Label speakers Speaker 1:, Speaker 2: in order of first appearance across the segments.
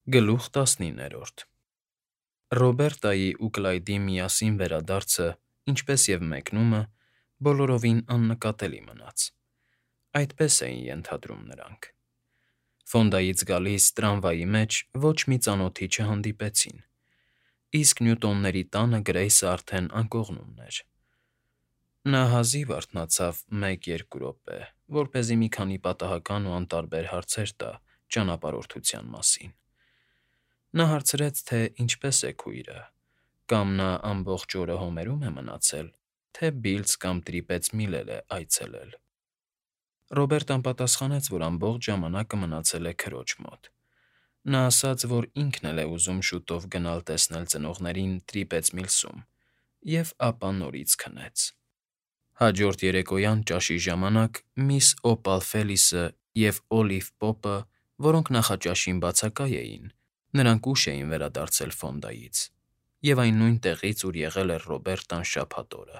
Speaker 1: Գլուխ 19 Ռոբերտայի ու Կլայդի միասին վերադարձը, ինչպես և մեկնումը, բոլորովին աննկատելի մնաց. այդպես էին ենթադրում նրանք։ Ֆոնդայից գալիս տրամվայի մեջ ոչ մի ծանոթի չհանդիպեցին, իսկ Նյուտոնների տանը Գրեյսը արդեն անկողնումն էր։ Նա հազիվ արթնացավ 1-2 րոպե, որպեսզի մի քանի պատահական ու անտարբեր հարցեր տա ճանապարհորդության մասին։ Նա հարցրեց, թե ինչպես է քույրը, կամ նա ամբողջ օրը Հոմերում է մնացել, թե Բիլձ կամ Տրիպեծ Միլել է այցելել։ Ռոբերտն պատասխանեց, որ ամբողջ ժամանակը մնացել է քրոջ մոտ։ Նա ասաց, որ ինքն էլ է ուզում շուտով գնալ տեսնել ծնողներին Տրիպեծ Միլսում, և ապա նորից քնեց։ Հաջորդ երեկոյան ճաշի ժամանակ միս Օպալ Ֆելիսը և Օլիվ Պոպը, որոնք նախաճաշին բացակայ էին, նրանք ուշ էին վերադարձել Ֆոնդայից, և այն նույն տեղից, ուր եղել էր Ռոբերտան շաբաթ օրը,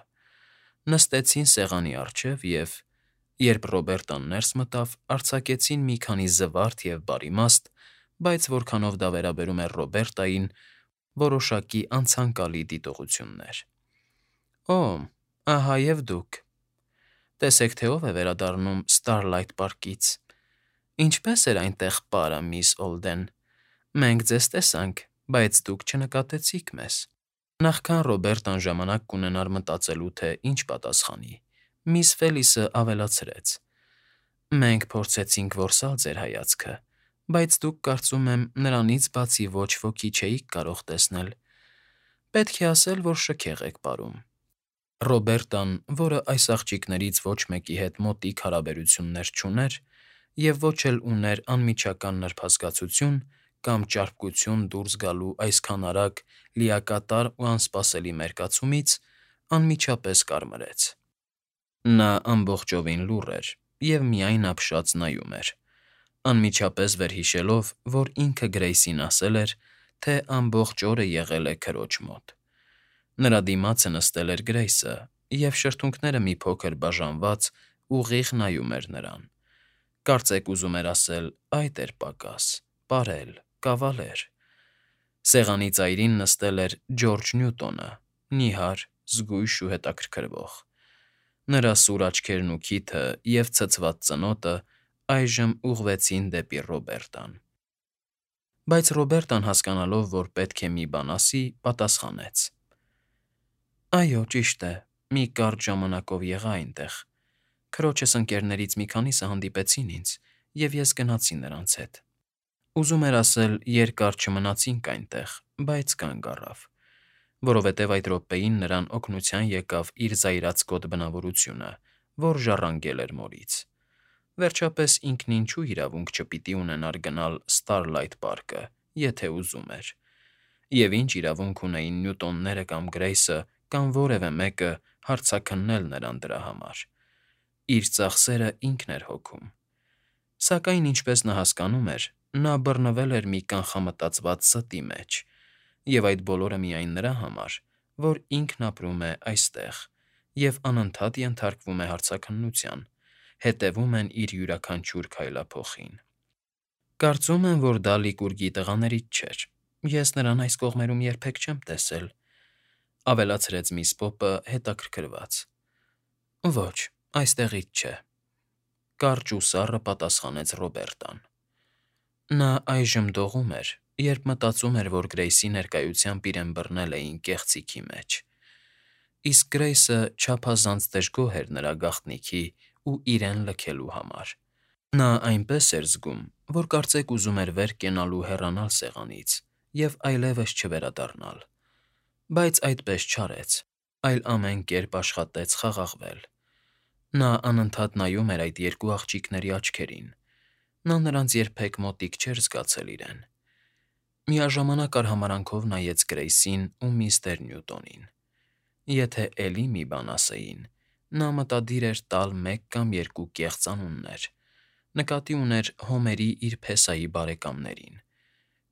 Speaker 1: նստեցին սեղանի առջև և, երբ Ռոբերտան ներս մտավ, արձակեցին մի քանի զվարթ և բարիմաստ, բայց որքանով դա վերաբերում էր Ռոբերտային, որոշակի անցանկալի դիտողություններ։ «Օ, ահա և դուք… Տեսեք, թե ով է վերադառնում Ստարլայթ պարկից… Ինչպե՞ս էր այնտեղ պարը, միս Օլդեն… Մենք ձեզ տեսանք, բայց դուք չնկատեցիք մեզ»։ Նախքան Ռոբերտան ժամանակ կունենար մտածելու, թե ինչ պատասխանի, միս Ֆելիսը ավելացրեց. «Մենք փորձեցինք որսալ ձեր հայացքը, բայց դուք, կարծում եմ, նրանից բացի ոչ ոքի չէիք կարող տեսնել… Պետք է ասել, որ շքեղ եք պարում»։ Ռոբերտան, որը այս աղջիկներից ոչ մեկի հետ մոտիկ հարաբերություններ չուներ և ոչ էլ ուներ անմիջական նրբազգացություն կամ ճարպկություն դուրս գալու այսքան արագ, լիակատար ու անսպասելի մերկացումից, անմիջապես կարմրեց։ Նա ամբողջովին լուռ էր և միայն ապշած նայում էր, անմիջապես վերհիշելով, որ ինքը Գրեյսին ասել էր, թե ամբողջ օրը եղել է քրոջ մոտ։ Նրա դիմացը նստել էր Գրեյսը, և շրթունքները մի փոքր բաժանված ուղիղ նայում էր նրան։ Կարծեք ուզում էր ասել. «Այդ էր պակաս, պարել, կավալեր»։ Սեղանի ծայրին նստել էր Ջորջ Նյուտոնը, նիհար, զգույշ ու հետաքրքրվող։ Նրա սուր աչքերն ու քիթը և ցցված ծնոտը այժմ ուղղվեցին դեպի Ռոբերտան։ Բայց Ռոբերտան, հասկանալով, որ պետք է մի բան ասի, պատասխանեց. «Այո, ճիշտ է, մի կարճ ժամանակով եղա այնտեղ… Քրոջս ընկերներից մի քանիսը հանդիպեցին ինձ, և ես գնացի նրանց հետ… Ուզում էր ասել, երկար չմնացինք այնտեղ, բայց կանգ առավ, որովհետև այդ րոպեին նրան օգնության եկավ իր զայրացկոտ բնավորությունը, որ ժառանգել էր մորից… Վերջապես ինքն ինչու իրավունք չպիտի ունենար գնալ Ստարլայթ պարկը, եթե ուզում էր… Եվ ինչ իրավունք ունեին Նյուտոնները կամ Գրեյսը կամ որևէ մեկը հարցաքննել նրան դրա համար… Իր ծախսերը ինքն էր հոգում… Սակայն, ինչպես նա հասկանում էր, նա բռնվել էր մի կանխամտածված ստի մեջ, և այդ բոլորը միայն նրա համար, որ ինքն ապրում է այստեղ և անընդհատ ենթարկվում է հարցաքննության, հետևում են իր յուրաքանչյուր քայլափոխին։ «Կարծում եմ, որ դա Լիկուրգի տղաներից չէր… Ես նրան այս կողմերում երբեք չեմ տեսել», ավելացրեց միս Պոպը հետաքրքրված։ «Ոչ, այստեղից չէ», կարճ ու սառը պատասխանեց Ռոբերտան։ Նա այժմ դողում էր, երբ մտածում էր, որ Գրեյսի ներկայությամբ իրեն բռնել էին կեղծիքի մեջ, իսկ Գրեյսը չափազանց դժգոհ էր նրա գաղտնիքի ու իրեն լքելու համար։ Նա այնպես էր զգում, որ կարծեք ուզում էր վեր կենալ ու հեռանալ սեղանից և այլևս չվերադառնալ, բայց այդպես չարեց, այլ ամեն կերպ աշխատեց խաղաղվել։ Նա անընդհատ նայում էր այդ երկու աղջիկների աչքերին, նա նրանց երբեք մոտիկ չէր զգացել իրեն։ Միաժամանակ արհամարհանքով նայեց Գրեյսին ու միստր Նյուտոնին։ Եթե էլի մի բան ասեին, նա մտադիր էր տալ մեկ կամ երկու կեղծ անուններ, նկատի ուներ Հոմերի իր փեսայի բարեկամներին,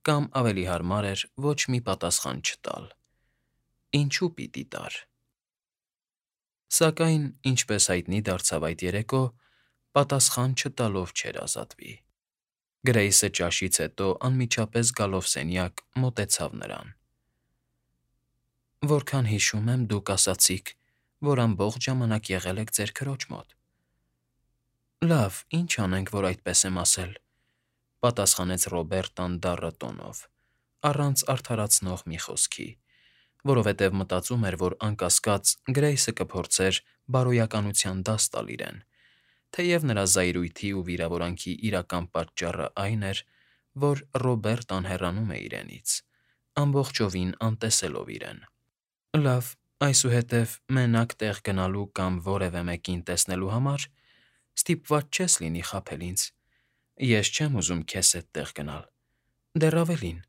Speaker 1: կամ ավելի հարմար էր ոչ մի պատասխան չտալ։ Ինչու՞ պիտի տար։ Սակայն, ինչպես հայտնի դարձավ այդ երեկո, պատասխան չտալով չէր ազատվի։ Գրեյսը ճաշից հետո անմիջապես գալով սենյակ մոտեցավ նրան։ Որքան հիշում եմ, դուք ասացիք, որ ամբողջ ժամանակ եղել եք ձեր քրոջ մոտ։ Լավ, ինչ անենք, որ այդպես եմ ասել, պատասխանեց Ռոբերտան դառը տոնով, առանց արդարացնող մի խոսքի, որովհետև մտածում էր, որ անկասկած Գրեյսը կփորձեր բարոյականության դաս տալ իրեն, թեև նրա զայրույթի ու վիրավորանքի իրական պատճառը այն էր, որ Ռոբերտան հեռանում է իրենից, ամբողջովին անտեսելով իրեն։ Լավ, այսուհետև մենակ տեղ գնալու կամ որևէ մեկին տեսնելու համար ստիպված չես լինի խաբել ինձ։ Ես չեմ ուզում քեզ հետ տեղ գնալ։ Դեռ ավելին,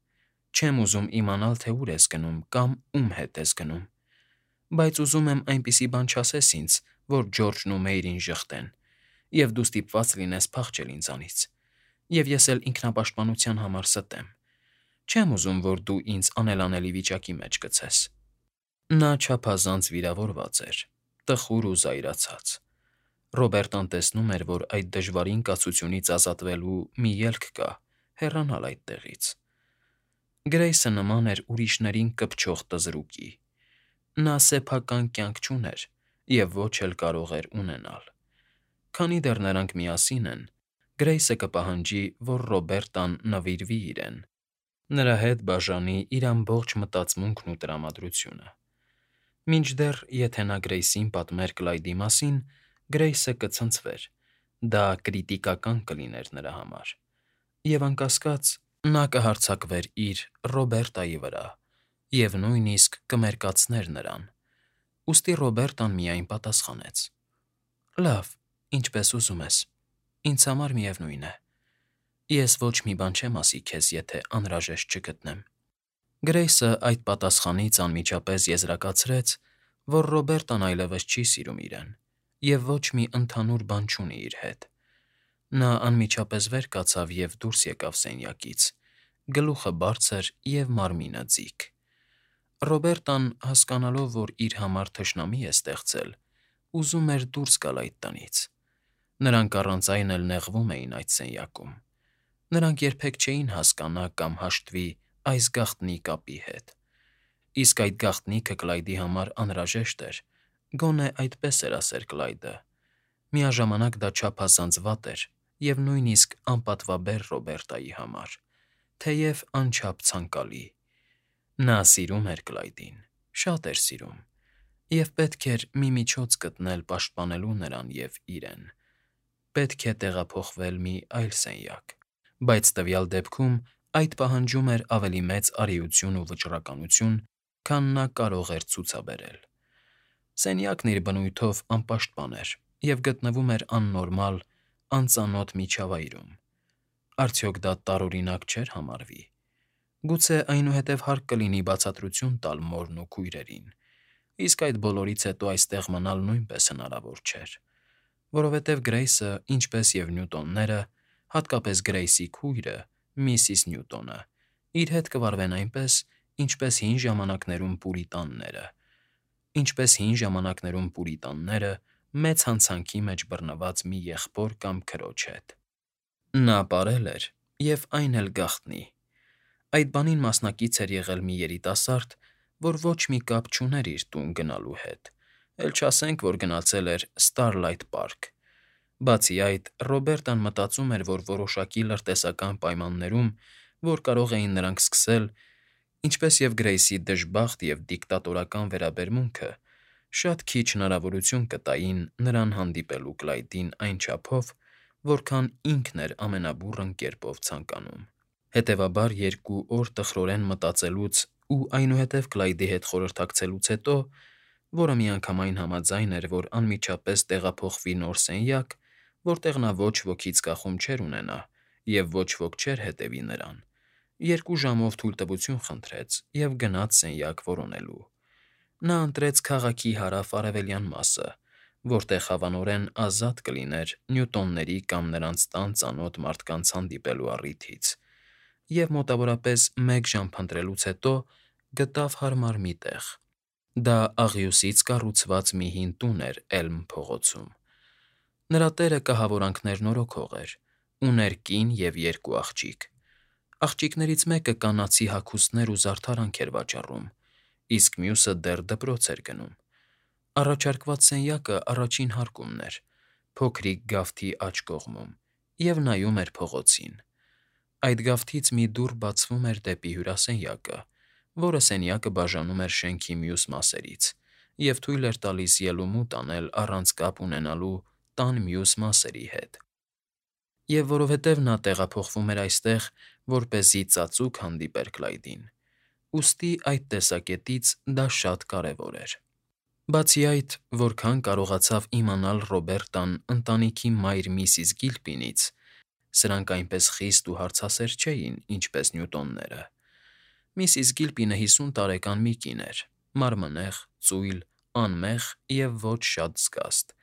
Speaker 1: չեմ ուզում իմանալ, թե ուր ես գնում կամ ում հետ ես գնում։ Բայց ուզում եմ այնպիսի բան չասես ինձ, որ Ջորջն ու Մեյրին ժխտեն, և դու ստիպված լինես փախչել ինձանից, և ես էլ ինքնապաշտպանության համար ստեմ։ Չեմ ուզում, որ դու ինձ անելանելի վիճակի մեջ գցես։ Նա չափազանց վիրավորված էր, տխուր ու զայրացած։ Ռոբերտան տեսնում էր, որ այդ դժվարին կացությունից ազատվելու մի ելք կա՝ հեռանալ այդտեղից։ Գրեյսը նման էր ուրիշներին կպչող տզրուկի։ Նա սեփական կյանք չուներ և ոչ էլ կարող էր ունենալ։ Քանի դեռ նրանք միասին են, Գրեյսը կպահանջի, որ Ռոբերտան նվիրվի իրեն, նրա հետ բաժանի իր ամբողջ մտածմունքն ու տրամադրությունը։ Մինչդեռ, եթե նա Գրեյսին պատմեր Կլայդի մասին, Գրեյսը կցնցվեր, դա կրիտիկական կլիներ նրա համար, և անկասկած նա կհարձակվեր իր Ռոբերտայի վրա և նույնիսկ կմերկացներ նրան։ Ուստի Ռոբերտան միայն պատասխանեց. Լավ, ինչպես ուզում ես, ինձ համար միևնույն է։ Ես ոչ մի բան չեմ ասի քեզ, եթե անհրաժեշտ չգտնեմ։ Գրեյսը այդ պատասխանից անմիջապես եզրակացրեց, որ Ռոբերտան այլևս չի սիրում իրեն և ոչ մի ընդհանուր բան չունի իր հետ։ Նա անմիջապես վեր կացավ և դուրս եկավ սենյակից, գլուխը բարձր և մարմինը ձիգ։ Ռոբերտան, հասկանալով, որ իր համար թշնամի է ստեղծել, ուզում էր դուրս գալ այդ տնից։ Նրանք առանց այն էլ նեղվում էին այդ սենյակում։ Նրանք երբեք չէին հասկանա կամ հաշտվի այս գաղտնի կապի հետ։ Իսկ այդ գաղտնիքը Կլայդի համար անհրաժեշտ էր, գոնե այդպես էր ասեր Կլայդը։ Միաժամանակ դա չափազանց վատ էր և նույնիսկ անպատվաբեր Ռոբերտայի համար, թեև անչափ ցանկալի։ Նա սիրում էր Կլայդին, շատ էր սիրում, և պետք էր մի միջոց գտնել պաշտպանելու նրան և իրեն։ Պետք է տեղափոխվել մի այլ սենյակ, բայց տվյալ դեպքում այդ պահանջում էր ավելի մեծ արիություն ու վճռականություն, քան նա կարող էր ցուցաբերել։ Սենյակն իր բնույթով անպաշտպան էր և գտնվում էր աննորմալ, անծանոթ միջավայրում։ Արդյոք դա տարօրինակ չէր համարվի։ Գուցե այնուհետև հարկ կլինի բացատրություն տալ մորն ու քույրերին, իսկ այդ բոլորից հետո այստեղ մնալ նույնպես հնարավոր չէր, որովհետև Գրեյսը, ինչպես և Նյուտոնները, հատկապես Գրեյսի քույրը՝ Միսիս Նյուտոնը, իր հետ կվարվեն այնպես, ինչպես հին ժամանակներում պուրիտանները մեծ հանցանքի մեջ բռնված մի եղբոր կամ քրոջ հետ։ Նա պարել էր, և այն էլ գաղտնի։ Այդ բանին մասնակից էր եղել մի երիտասարդ, որ ոչ մի կապ չուներ իր տուն գնալու հետ, էլ չասենք, որ գնացել էր Ստարլայթ Պարք։ Բացի այդ, Ռոբերտան մտածում էր, որ որոշակի լրտեսական պայմաններում, որ կարող էին նրանք սկսել, ինչպես և Գրեյսի դժբախտ և դիկտատորական վերաբերմունքը, շատ քիչ հնարավորություն կտային նրան հանդիպելու Կլայդին այն չափով, որքան ինքն էր ամենաբուռն կերպով ցանկանում։ Հետևաբար, 2 օր տխրորեն մտածելուց ու այնուհետև Կլայդի հետ խորհրդակցելուց հետո, որը միանգամայն համաձայն էր, որ անմիջապես տեղափոխվի նոր սենյակ, որտեղ նա ոչ ոքից կախում չէր ունենա և ոչ ոք չէր հետևի նրան, 2 ժամով թույլտվություն խնդրեց և գնաց սենյակ որոնելու։ Նա ընտրեց քաղաքի հարավ֊արևելյան մասը, որտեղ հավանորեն ազատ կլիներ Նյուտոնների կամ նրանց տան ծանոթ մարդկանց հանդիպելու առիթից, և մոտավորապես 1 ժամ փնտրելուց հետո գտավ հարմար մի տեղ։ Դա աղյուսից կառուցված մի հին տուն էր Էլմ փողոցում։ Նրա տերը կահավորանքներ նորոգող էր, Ուներ կին և երկու աղջիկ։ Աղջիկներից մեկը կանացի հագուստներ ու զարդարանք էր վաճառում, իսկ մյուսը դեռ դպրոց էր գնում։ Առաջարկված սենյակը առաջին հարկումն էր, փոքրիկ գավթի աջ կողմում, և նայում էր փողոցին։ Այդ գավթից մի դուռ բացվում էր դեպի հյուրասենյակը, որը սենյակը բաժանում էր շենքի մյուս մասերից և թույլ էր տալիս ելումուտ անել առանց կապ ունենալու տան մյուս մասերի հետ։ Եվ որովհետև նա տեղափոխվում էր այստեղ, որպեսզի ծածուկ հանդիպեր Կլայդին, ուստի այդ տեսակետից դա շատ կարևոր էր։ Բացի այդ, որքան կարողացավ իմանալ Ռոբերտան ընտանիքի մայր միսիս Գիլպինից, սրանք այնպես խիստ ու հարցասեր չէին, ինչպես Նյուտոնները։ Միսիս Գիլպինը 50 տարեկան մի կին էր, մարմնեղ, ծույլ, անմեղ և ոչ շատ զգաստ։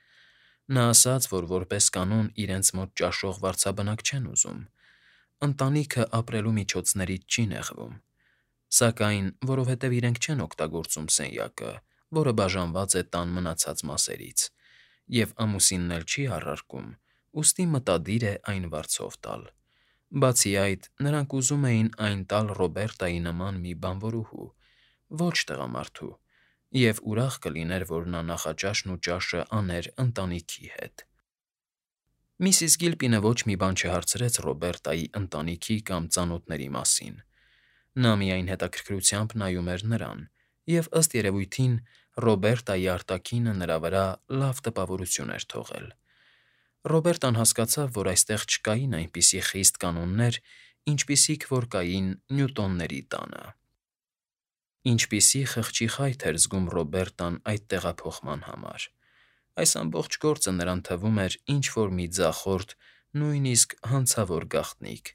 Speaker 1: Նա ասաց, որ որպես կանոն իրենց մոտ ճաշող վարձաբնակ չեն ուզում, ընտանիքը ապրելու միջոցներից չի նեղվում, սակայն որովհետև իրենք չեն օգտագործում սենյակը, որը բաժանված է տան մնացած մասերից, և ամուսինն էլ չի առարկում, ուստի մտադիր է այն վարձով տալ։ Բացի այդ, նրանք ուզում էին այն տալ Ռոբերտայի նման մի բանվորուհու, ոչ տղամարդու, և ուրախ կլիներ, որ նա նախաճաշն ու ճաշը աներ ընտանիքի հետ։ Միսիս Գիլպինը ոչ մի բան չհարցրեց Ռոբերտայի ընտանիքի կամ ծանոթների մասին։ Նա միայն հետաքրքրությամբ նայում էր նրան, և, ըստ երևույթին, Ռոբերտայի արտաքինը նրա վրա լավ տպավորություն էր թողել։ Ռոբերտան հասկացավ, որ այստեղ չկային այնպիսի խիստ կանոններ, ինչպիսիք որ կային Նյուտոնների տանը։ Ինչպիսի խղճի խայթ էր զգում Ռոբերտան այդ տեղափոխման համար։ Այս ամբողջ գործը նրան թվում էր ինչ֊որ մի ձախորդ, նույնիսկ հանցավոր գաղտնիք,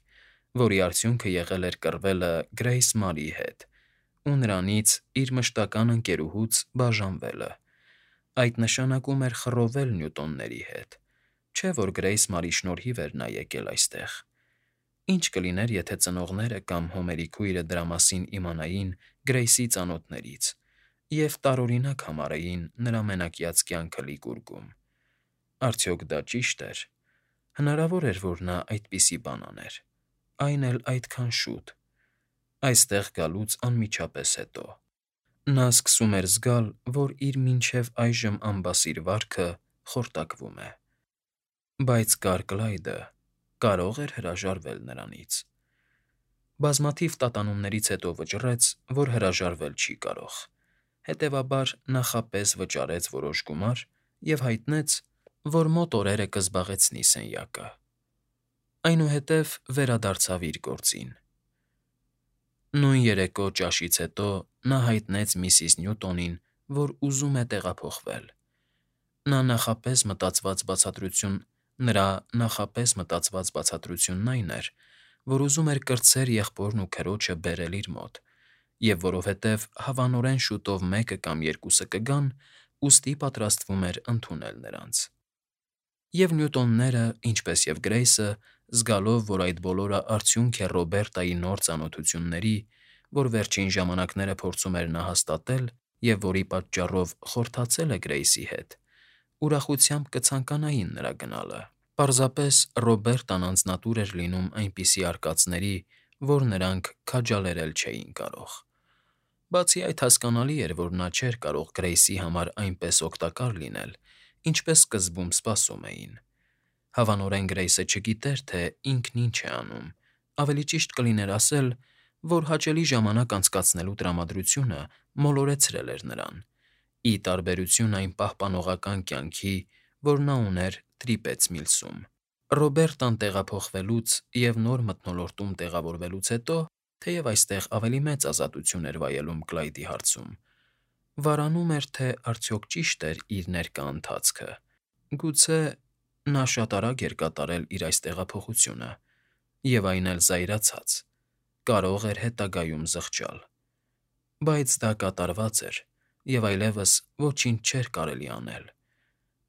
Speaker 1: որի արդյունքը եղել էր կռվելը Գրեյս Մարիի հետ ու նրանից՝ իր մշտական ընկերուհուց, բաժանվելը։ Այդ նշանակում էր խռովել Նյուտոնների հետ, չէ՞ որ Գրեյս Մարի շնորհիվ էր նա եկել այստեղ։ Ինչ կլիներ, եթե ծնողները կամ Հոմերի քույրը դրա մասին իմանային Գրեյսի ծանոթներից և տարօրինակ համարեին նրա մենակյաց կյանքը լիկուռգում։ Արդյոք դա ճի՞շտ էր։ Հնարավոր էր, որ նա այդպիսի բան աներ, այն էլ այդքան շուտ, այստեղ գալուց անմիջապես հետո։ Նա սկսում էր զգալ, որ իր մինչև այժմ անբասիր վարքը խորտակվում է։ Բայց կար Կլայդը, կարո՞ղ էր հրաժարվել նրանից։ Բազմաթիվ տատանումներից հետո վճռեց, որ հրաժարվել չի կարող, հետևաբար նախապես վճարեց որոշ գումար և հայտնեց, որ մոտ օրերը կզբաղեցնի սենյակը։ Այնուհետև վերադարձավ իր գործին։ Նույն երեկո ճաշից հետո նա հայտնեց միսիս Նյուտոնին, որ ուզում է տեղափոխվել։ Նրա նախապես մտածված բացատրությունն այն էր, որ ուզում էր կրտսեր եղբորն ու քրոջը բերել իր մոտ, և որովհետև հավանորեն շուտով մեկը կամ երկուսը կգան, ուստի պատրաստվում էր ընդունել նրանց։ Եվ Նյուտոնները, ինչպես և Գրեյսը, զգալով, որ այդ բոլորը արդյունք է Ռոբերտայի նոր ծանոթությունների, որ վերջին ժամանակները փորձում էր նա հաստատել և որի պատճառով խորթացել է Գրեյսի հետ, ուրախությամբ կցանկանային նրա գնալը։ Պարզապես Ռոբերտան անձնատուր էր լինում այնպիսի արկածների, որ նրանք քաջալերել չէին կարող։ Բացի այդ, հասկանալի էր, որ նա չէր կարող Գրեյսի համար այնպես օգտակար լինել, ինչպես սկզբում սպասում էին։ Հավանորեն Գրեյսը չգիտեր, թե ինքն ինչ է անում, ավելի ճիշտ կլիներ ասել, որ հաճելի ժամանակ անցկացնելու տրամադրությունը մոլորեցրել էր նրան, ի տարբերություն այն պահպանողական կյանքի, որ նա ուներ Տրիպեծ Միլսում։ Ռոբերտան տեղափոխվելուց և նոր մթնոլորտում տեղավորվելուց հետո, թեև այստեղ ավելի մեծ ազատություն էր վայելում Կլայդի հարցում, վարանում էր, թե արդյոք ճի՞շտ էր իր ներկա ընթացքը։ Գուցե նա շատ արագ էր կատարել իր այս տեղափոխությունը, և այն էլ զայրացած, կարող էր հետագայում զղջալ։ Բայց դա կատարված էր, և այլևս ոչինչ չէր կարելի անել,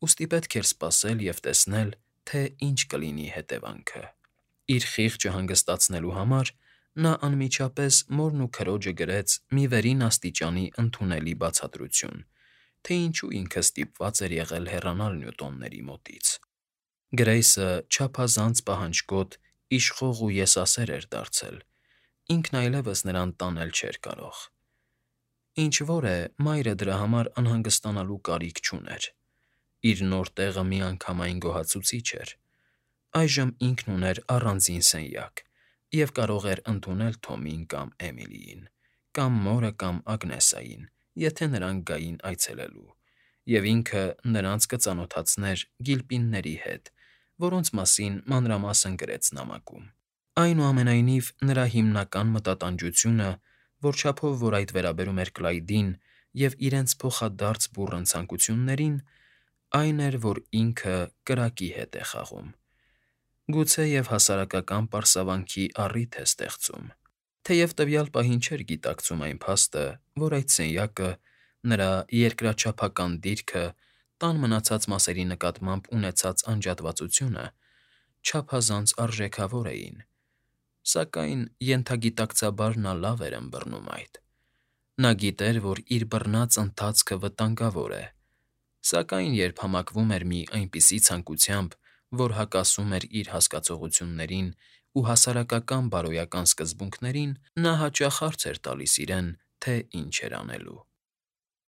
Speaker 1: ուստի պետք էր սպասել և տեսնել, թե ինչ կլինի հետևանքը։ Իր խիղճը հանգստացնելու համար նա անմիջապես մորն ու քրոջը գրեց մի վերին աստիճանի ընդունելի բացատրություն, թե ինչու ինքը ստիպված էր եղել հեռանալ Նյուտոնների մոտից։ Գրեյսը չափազանց պահանջկոտ, իշխող ու եսասեր էր դարձել, ինքն այլևս նրան տանել չէր կարող։ Ինչ որ է, մայրը դրա համար անհանգստանալու կարիք չուներ։ Իր նոր տեղը միանգամայն գոհացուցիչ էր։ Այժմ ինքն ուներ առանձին սենյակ և կարող էր ընդունել Թոմին կամ Էմիլիին, կամ մորը կամ Ագնեսային, եթե նրանք գային այցելելու, և ինքը նրանց կծանոթացներ գիլպինների հետ, որոնց մասին մանրամասն գրեց նամակում։ Այնուամենայնիվ, նրա հիմնական մտատանջությունը, որ չափով որ այդ վերաբերում էր Կլայդին և իրենց փոխադարձ բուռն ցանկություններին, այն էր, որ ինքը կրակի հետ է խաղում, գուցեև հասարակական պարսավանքի առիթ է ստեղծում, թեև տվյալ պահին չէր գիտակցում այն փաստը, որ այդ սենյակը, նրա երկրաչափական դիրքը, տան մնացած մասերի նկատմամբ ունեցած անջատվածությունը չափազանց արժեքավոր էին, սակայն ենթագիտակցաբար նա լավ էր ըմբռնում այդ։ Նա գիտեր, որ իր բռնած ընթացքը վտանգավոր է, սակայն երբ համակվում էր մի այնպիսի ցանկությամբ, որ հակասում էր իր հասկացողություններին ու հասարակական բարոյական սկզբունքներին, նա հաճախ հարց էր տալիս իրեն, թե ինչ էր անելու։